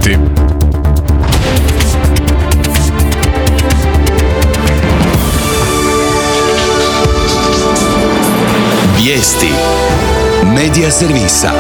pratiti. Vijesti Medija servisa.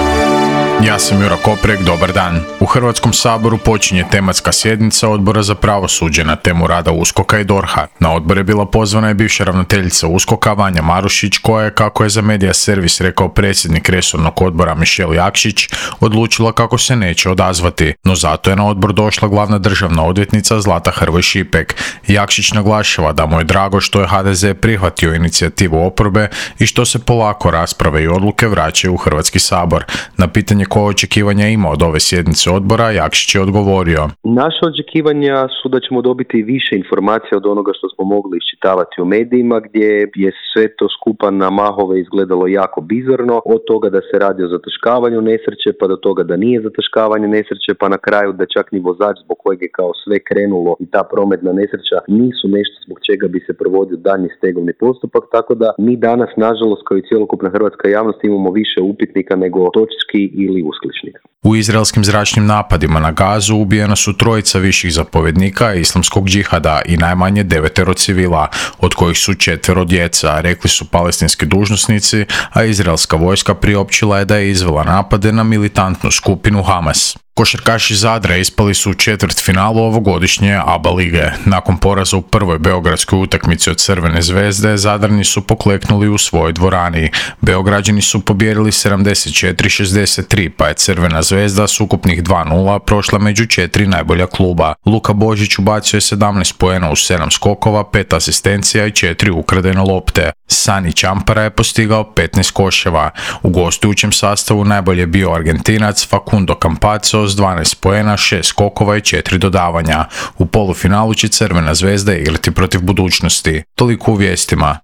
Ja sam Juro Koprek, dobar dan. U Hrvatskom saboru počinje tematska sjednica Odbora za pravosuđe na temu rada USKOK-a i DORH-a. Na odbor je bila pozvana i bivša ravnateljica USKOK-a Vanja Marušić, koja je, kako je za Medija servis rekao predsjednik resornog odbora Mišel Jakšić, odlučila kako se neće odazvati. No zato je na odbor došla glavna državna odvjetnica Zlata Hrvoj Šipek. Jakšić naglašava da mu je drago što je HDZ prihvatio inicijativu oporbe i što se polako rasprave i odluke vraćaju u Hrvatski sabor. Na pitanje koje očekivanja ima od ove sjednice odbora, Jakšić je odgovorio. Naše očekivanja su da ćemo dobiti više informacija od onoga što smo mogli iščitavati u medijima, gdje je sve to skupa na mahove izgledalo jako bizarno, od toga da se radi o zataškavanju nesreće, pa do toga da nije zataškavanje nesreće, pa na kraju da čak ni vozač zbog kojeg je kao sve krenulo i ta prometna nesreća nisu nešto zbog čega bi se provodio daljnji stegovni postupak, tako da mi danas, nažalost, kao i cjelokupna hrvatska javnost, imamo više upitnika nego točki ili uskličnika. U izraelskim zračnim napadima na Gazu ubijena su 3 viših zapovjednika islamskog džihada i najmanje 9 civila, od kojih su 4 djeca, rekli su palestinski dužnosnici, a izraelska vojska priopćila je da je izvela napade na militantnu skupinu Hamas. Košarkaši Zadra ispali su u četvrtfinalu ovogodišnje ABA lige. Nakon poraza u prvoj beogradskoj utakmici od Crvene zvezde, Zadrani su pokleknuli u svojoj dvorani. Beograđani su pobijedili 74-63, pa je Crvena zvezda s ukupnih 2-0 prošla među 4 najbolja kluba. Luka Božić ubacio je 17 poena u 7 skokova, 5 asistencija i 4 ukradene lopte. Sani Čampara je postigao 15 koševa. U gostujućem sastavu najbolje je bio Argentinac Facundo Campazzo s 12 poena, 6 skokova i 4 dodavanja. U polufinalu će Crvena zvezda igrati protiv Budućnosti. Toliko u vijestima.